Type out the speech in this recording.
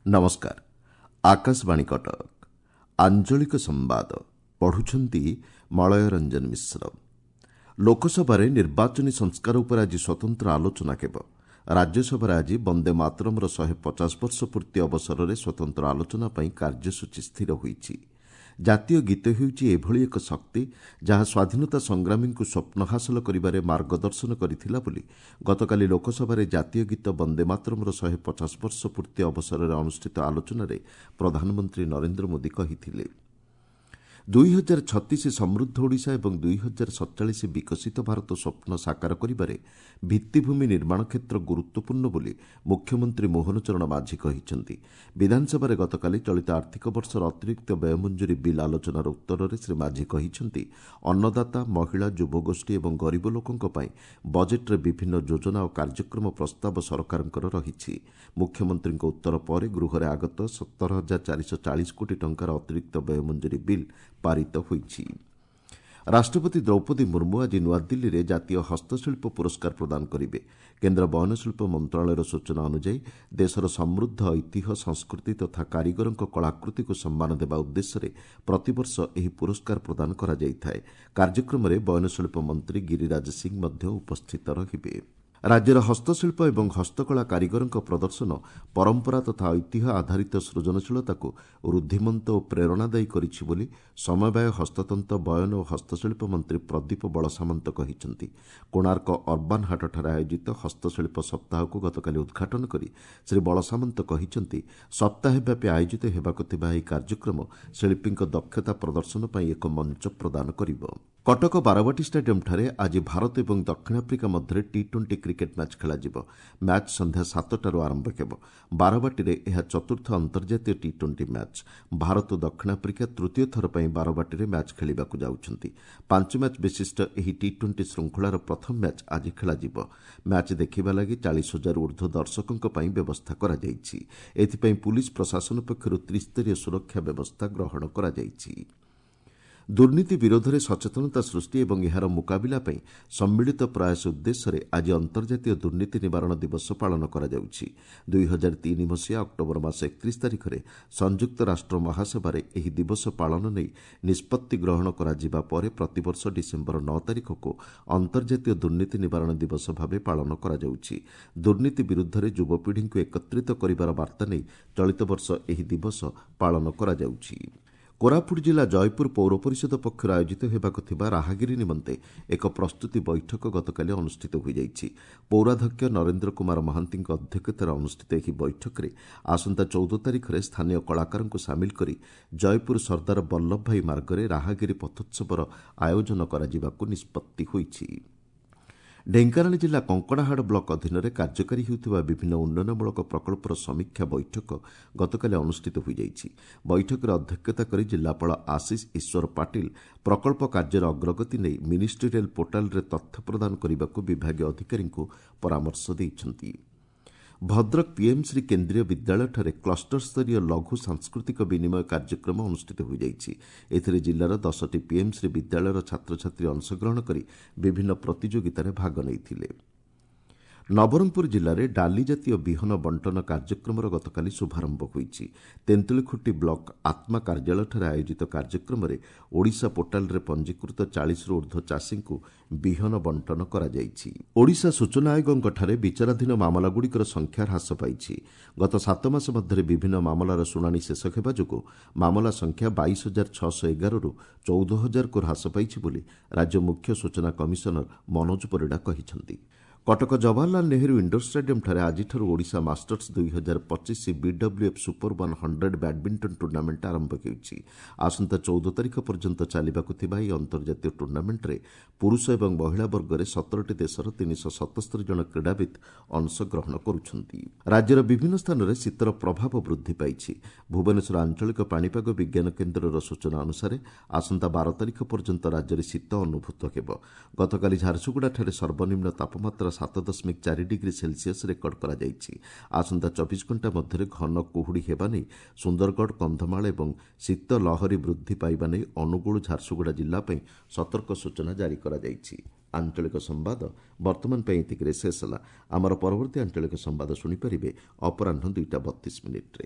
ନମସ୍କାର, ଆକାଶବାଣୀ କଟକ। ଆଞ୍ଚଳିକ ସମ୍ବାଦ ପଢୁଛନ୍ତି ମଳୟ ରଞ୍ଜନ ମିଶ୍ର। ଲୋକସଭାରେ ନିର୍ବାଚନୀ ସଂସ୍କାର ଉପରେ ଆଜି ସ୍ୱତନ୍ତ୍ର ଆଲୋଚନା ହେବ। ରାଜ୍ୟସଭାରେ ଆଜି ବନ୍ଦେ ମାତରମ୍ର 150 ବର୍ଷ ପୂର୍ତ୍ତି ଅବସରରେ ସ୍ୱତନ୍ତ୍ର ଆଲୋଚନା ପାଇଁ କାର୍ଯ୍ୟସୂଚୀ ସ୍ଥିର ହୋଇଛି। ଜାତୀୟ ଗୀତ ହେଉଛି ଏଭଳି ଏକ ଶକ୍ତି, ଯାହା ସ୍ୱାଧୀନତା ସଂଗ୍ରାମୀଙ୍କୁ ସ୍ୱପ୍ନ ହାସଲ କରିବାରେ ମାର୍ଗଦର୍ଶନ କରିଥିଲା ବୋଲି ଗତକାଲି ଲୋକସଭାରେ ଜାତୀୟ ଗୀତ ବନ୍ଦେ ମାତରମ୍ର 150 ବର୍ଷ ପୂର୍ତ୍ତି ଅବସରରେ ଅନୁଷ୍ଠିତ ଆଲୋଚନାରେ ପ୍ରଧାନମନ୍ତ୍ରୀ ନରେନ୍ଦ୍ର ମୋଦି କହିଥିଲେ। 2036 ସମୃଦ୍ଧ ଓଡ଼ିଶା ଏବଂ 2047 ବିକଶିତ ଭାରତ ସ୍ୱପ୍ନ ସାକାର କରିବାରେ ଭିତ୍ତିଭୂମି ନିର୍ମାଣ କ୍ଷେତ୍ର ଗୁରୁତ୍ୱପୂର୍ଣ୍ଣ ବୋଲି ମୁଖ୍ୟମନ୍ତ୍ରୀ ମୋହନ ଚରଣ ମାଝୀ କହିଛନ୍ତି। ବିଧାନସଭାରେ ଗତକାଲି ଚଳିତ ଆର୍ଥିକ ବର୍ଷର ଅତିରିକ୍ତ ବ୍ୟୟ ମଞ୍ଜୁରୀ ବିଲ୍ ଆଲୋଚନାର ଉତ୍ତରରେ ଶ୍ରୀ ମାଝୀ କହିଛନ୍ତି, ଅନ୍ନଦାତା, ମହିଳା, ଯୁବଗୋଷ୍ଠୀ ଏବଂ ଗରିବ ଲୋକଙ୍କ ପାଇଁ ବଜେଟ୍ରେ ବିଭିନ୍ନ ଯୋଜନା ଓ କାର୍ଯ୍ୟକ୍ରମ ପ୍ରସ୍ତାବ ସରକାରଙ୍କର ରହିଛି। ମୁଖ୍ୟମନ୍ତ୍ରୀଙ୍କ ଉତ୍ତର ପରେ ଗୃହରେ ଆଗତ 17,440 କୋଟି ଟଙ୍କାର ଅତିରିକ୍ତ ବ୍ୟୟ ମଞ୍ଜୁରୀ ବିଲ୍ ପାରିତ ହୋଇଛି। ରାଷ୍ଟ୍ରପତି ଦ୍ରୌପଦୀ ମୁର୍ମୁ ଆଜି ନୂଆଦିଲ୍ଲୀରେ ଜାତୀୟ ହସ୍ତଶିଳ୍ପ ପୁରସ୍କାର ପ୍ରଦାନ କରିବେ। କେନ୍ଦ୍ର ବୟନଶିଳ୍ପ ମନ୍ତ୍ରଣାଳୟର ସୂଚନା ଅନୁଯାୟୀ, ଦେଶର ସମୃଦ୍ଧ ଐତିହ୍ୟ, ସଂସ୍କୃତି ତଥା କାରିଗରଙ୍କ କଳାକୃତିକୁ ସମ୍ମାନ ଦେବା ଉଦ୍ଦେଶ୍ୟରେ ପ୍ରତିବର୍ଷ ଏହି ପୁରସ୍କାର ପ୍ରଦାନ କରାଯାଇଥାଏ। କାର୍ଯ୍ୟକ୍ରମରେ ବୟନଶିଳ୍ପ ମନ୍ତ୍ରୀ ଗିରିରାଜ ସିଂ ମଧ୍ୟ ଉପସ୍ଥିତ ରହିବେ। ରାଜ୍ୟର ହସ୍ତଶିଳ୍ପ ଏବଂ ହସ୍ତକଳା କାରିଗରଙ୍କ ପ୍ରଦର୍ଶନ ପରମ୍ପରା ତଥା ଐତିହ୍ୟ ଆଧାରିତ ସୃଜନଶୀଳତାକୁ ରୁଦ୍ଧିମନ୍ତ ଓ ପ୍ରେରଣାଦାୟୀ କରିଛି ବୋଲି ସମବାୟ, ହସ୍ତତନ୍ତ, ବୟନ ଓ ହସ୍ତଶିଳ୍ପ ମନ୍ତ୍ରୀ ପ୍ରଦୀପ ବଳସାମନ୍ତ କହିଛନ୍ତି। କୋଣାର୍କ ଅର୍ବାନ୍ ହାଟଠାରେ ଆୟୋଜିତ ହସ୍ତଶିଳ୍ପ ସପ୍ତାହକୁ ଗତକାଲି ଉଦ୍ଘାଟନ କରି ଶ୍ରୀ ବଳସାମନ୍ତ କହିଛନ୍ତି, ସପ୍ତାହବ୍ୟାପୀ ଆୟୋଜିତ ହେବାକୁ ଥିବା ଏହି କାର୍ଯ୍ୟକ୍ରମ ଶିଳ୍ପୀଙ୍କ ଦକ୍ଷତା ପ୍ରଦର୍ଶନ ପାଇଁ ଏକ ମଞ୍ଚ ପ୍ରଦାନ କରିବ। କଟକ ବାରବାଟୀ ଷ୍ଟାଡିୟମ୍ଠାରେ ଆଜି ଭାରତ ଏବଂ ଦକ୍ଷିଣ ଆଫ୍ରିକା ମଧ୍ୟରେ ଟି-20 କ୍ରିକେଟ୍ ମ୍ୟାଚ୍ ଖେଳାଯିବ। ମ୍ୟାଚ୍ ସନ୍ଧ୍ୟା 7ଟାରୁ ଆରମ୍ଭ ହେବ। ବାରବାଟୀରେ ଏହା ଚତୁର୍ଥ ଅନ୍ତର୍ଜାତୀୟ ଟି-20 ମ୍ୟାଚ୍। ଭାରତ ଓ ଦକ୍ଷିଣ ଆଫ୍ରିକା ତୃତୀୟ ଥର ପାଇଁ ବାରବାଟୀରେ ମ୍ୟାଚ୍ ଖେଳିବାକୁ ଯାଉଛନ୍ତି। 5 ମ୍ୟାଚ୍ ବିଶିଷ୍ଟ ଏହି ଟି-20 ଶୃଙ୍ଖଳାର ପ୍ରଥମ ମ୍ୟାଚ୍ ଆଜି ଖେଳାଯିବ। ମ୍ୟାଚ୍ ଦେଖିବା ଲାଗି 40,000 ଉର୍ଦ୍ଧ୍ୱ ଦର୍ଶକଙ୍କ ପାଇଁ ବ୍ୟବସ୍ଥା କରାଯାଇଛି। ଏଥିପାଇଁ ପୁଲିସ୍ ପ୍ରଶାସନ ପକ୍ଷରୁ ତ୍ରିସ୍ତରୀୟ ସୁରକ୍ଷା ବ୍ୟବସ୍ଥା ଗ୍ରହଣ କରାଯାଇଛି। ଦୁର୍ନୀତି ବିରୋଧରେ ସଚେତନତା ସୃଷ୍ଟି ଏବଂ ଏହାର ମୁକାବିଲା ପାଇଁ ସମ୍ମିଳିତ ପ୍ରୟାସ ଉଦ୍ଦେଶ୍ୟରେ ଆଜି ଅନ୍ତର୍ଜାତୀୟ ଦୁର୍ନୀତି ନିବାରଣ ଦିବସ ପାଳନ କରାଯାଉଛି। 2003 ମସିହା ଅକ୍ଟୋବର ମାସ 31 ତାରିଖରେ ସଂଯୁକ୍ତ ରାଷ୍ଟ୍ର ମହାସଭାରେ ଏହି ଦିବସ ପାଳନ ନେଇ ନିଷ୍ପତ୍ତି ଗ୍ରହଣ କରାଯିବା ପରେ ପ୍ରତିବର୍ଷ ଡିସେମ୍ବର 9 ତାରିଖକୁ ଅନ୍ତର୍ଜାତୀୟ ଦୁର୍ନୀତି ନିବାରଣ ଦିବସ ଭାବେ ପାଳନ କରାଯାଉଛି। ଦୁର୍ନୀତି ବିରୁଦ୍ଧରେ ଯୁବପିଢ଼ିଙ୍କୁ ଏକତ୍ରିତ କରିବାର ବାର୍ତ୍ତା ନେଇ ଚଳିତ ବର୍ଷ ଏହି ଦିବସ ପାଳନ କରାଯାଉଛି। କୋରାପୁଟ ଜିଲ୍ଲା ଜୟପୁର ପୌର ପରିଷଦ ପକ୍ଷରୁ ଆୟୋଜିତ ହେବାକୁ ଥିବା ରାହାଗିରି ନିମନ୍ତେ ଏକ ପ୍ରସ୍ତୁତି ବୈଠକ ଗତକାଲି ଅନୁଷ୍ଠିତ ହୋଇଯାଇଛି। ପୌରାଧ୍ୟକ୍ଷ ନରେନ୍ଦ୍ର କୁମାର ମହାନ୍ତିଙ୍କ ଅଧ୍ୟକ୍ଷତାରେ ଅନୁଷ୍ଠିତ ଏହି ବୈଠକରେ ଆସନ୍ତା 14 ତାରିଖରେ ସ୍ଥାନୀୟ କଳାକାରଙ୍କୁ ସାମିଲ କରି ଜୟପୁର ସର୍ଦ୍ଦାର ବଲ୍ଲଭ ଭାଇ ମାର୍ଗରେ ରାହାଗିରି ପଥୋତ୍ସବର ଆୟୋଜନ କରାଯିବାକୁ ନିଷ୍ପତ୍ତି ହୋଇଛି। ଢେଙ୍କାନାଳ ଜିଲ୍ଲା କଙ୍କଡ଼ାହାଡ଼ ବ୍ଲକ ଅଧୀନରେ କାର୍ଯ୍ୟକାରୀ ହେଉଥିବା ବିଭିନ୍ନ ଉନ୍ନୟନମୂଳକ ପ୍ରକଳ୍ପର ସମୀକ୍ଷା ବୈଠକ ଗତକାଲି ଅନୁଷ୍ଠିତ ହୋଇଯାଇଛି। ବୈଠକରେ ଅଧ୍ୟକ୍ଷତା କରି ଜିଲ୍ଲାପାଳ ଆଶିଷ ଈଶ୍ୱର ପାଟିଲ ପ୍ରକଳ୍ପ କାର୍ଯ୍ୟର ଅଗ୍ରଗତି ନେଇ ମିନିଷ୍ଟ୍ରିଆଲ ପୋର୍ଟାଲରେ ତଥ୍ୟ ପ୍ରଦାନ କରିବାକୁ ବିଭାଗୀୟ ଅଧିକାରୀଙ୍କୁ ପରାମର୍ଶ ଦେଇଛନ୍ତି। ଭଦ୍ରକ ପିଏମ୍ଶ୍ରୀ କେନ୍ଦ୍ରୀୟ ବିଦ୍ୟାଳୟଠାରେ କ୍ଲଷ୍ଟର ସ୍ତରୀୟ ଲଘୁ ସାଂସ୍କୃତିକ ବିନିମୟ କାର୍ଯ୍ୟକ୍ରମ ଅନୁଷ୍ଠିତ ହୋଇଯାଇଛି। ଏଥିରେ ଜିଲ୍ଲାର 10ଟି ପିଏମ୍ଶ୍ରୀ ବିଦ୍ୟାଳୟର ଛାତ୍ରଛାତ୍ରୀ ଅଂଶଗ୍ରହଣ କରି ବିଭିନ୍ନ ପ୍ରତିଯୋଗିତାରେ ଭାଗ ନେଇଥିଲେ। ନବରଙ୍ଗପୁର ଜିଲ୍ଲାରେ ଡାଲି ଜାତୀୟ ବିହନ ବଣ୍ଟନ କାର୍ଯ୍ୟକ୍ରମର ଗତକାଲି ଶୁଭାରମ୍ଭ ହୋଇଛି। ତେନ୍ତୁଳିଖୁଣ୍ଟି ବ୍ଲକ ଆତ୍ମା କାର୍ଯ୍ୟାଳୟଠାରେ ଆୟୋଜିତ କାର୍ଯ୍ୟକ୍ରମରେ ଓଡ଼ିଶା ପୋର୍ଟାଲରେ ପଞ୍ଜୀକୃତ 40ରୁ ଉର୍ଦ୍ଧ୍ୱ ଚାଷୀଙ୍କୁ ବିହନ ବଣ୍ଟନ କରାଯାଇଛି। ଓଡ଼ିଶା ସୂଚନା ଆୟୋଗଙ୍କଠାରେ ବିଚାରାଧୀନ ମାମଲାଗୁଡ଼ିକର ସଂଖ୍ୟା ହ୍ରାସ ପାଇଛି। ଗତ 7 ମାସ ମଧ୍ୟରେ ବିଭିନ୍ନ ମାମଲାର ଶୁଣାଣି ଶେଷ ହେବା ଯୋଗୁଁ ମାମଲା ସଂଖ୍ୟା 22,611ରୁ 14,000କୁ ହ୍ରାସ ପାଇଛି ବୋଲି ରାଜ୍ୟ ମୁଖ୍ୟ ସୂଚନା କମିଶନର ମନୋଜ ପରିଡ଼ା କହିଛନ୍ତି। କଟକ ଜବାହରଲାଲ ନେହେରୁ ଇଣ୍ଡୋର ଷ୍ଟାଡିୟମ୍ଠାରେ ଆଜିଠାରୁ Odisha Masters 2025 BWF super 100 badminton tournament ଆରମ୍ଭ ହେଉଛି। ଆସନ୍ତା 14 ତାରିଖ ପର୍ଯ୍ୟନ୍ତ ଚାଲିବାକୁ ଥିବା ଏହି ଅନ୍ତର୍ଜାତୀୟ ଟୁର୍ଣ୍ଣାମେଣ୍ଟରେ ପୁରୁଷ ଏବଂ ମହିଳା ବର୍ଗରେ 17ଟି ଦେଶର 377 ଜଣ କ୍ରୀଡ଼ାବିତ୍ ଅଂଶଗ୍ରହଣ କରୁଛନ୍ତି। ରାଜ୍ୟର ବିଭିନ୍ନ ସ୍ଥାନରେ ଶୀତର ପ୍ରଭାବ ବୃଦ୍ଧି ପାଇଛି। ଭୁବନେଶ୍ୱର ଆଞ୍ଚଳିକ ପାଣିପାଗ ବିଜ୍ଞାନ କେନ୍ଦ୍ରର ସୂଚନା ଅନୁସାରେ ଆସନ୍ତା 12 ତାରିଖ ପର୍ଯ୍ୟନ୍ତ ରାଜ୍ୟରେ ଶୀତ ଅନୁଭୂତ ହେବ। ଗତକାଲି ଝାରସୁଗୁଡ଼ାଠାରେ ସର୍ବନିମ୍ନ ତାପମାତ୍ରା 7.4 ଡିଗ୍ରୀ ସେଲ୍ସିୟସ୍ ରେକର୍ଡ କରାଯାଇଛି। ଆସନ୍ତା 24 ଘଣ୍ଟା ମଧ୍ୟରେ ଘନ କୁହୁଡ଼ି ହେବା ନେଇ ସୁନ୍ଦରଗଡ଼, କନ୍ଧମାଳ ଏବଂ ଶୀତ ଲହରୀ ବୃଦ୍ଧି ପାଇବା ନେଇ ଅନୁଗୁଳ, ଝାରସୁଗୁଡ଼ା ଜିଲ୍ଲା ପାଇଁ ସତର୍କ ସୂଚନା ଜାରି କରାଯାଇଛି। ଆଞ୍ଚଳିକ ସମ୍ବାଦ ବର୍ତ୍ତମାନ ପାଇଁ ଏତିକିରେ ଶେଷ ହେଲା। ଆମର ପରବର୍ତ୍ତୀ ଆଞ୍ଚଳିକ ସମ୍ବାଦ ଶୁଣିପାରିବେ ଅପରାହ୍ନ 2ଟା 32 ମିନିଟ୍ରେ।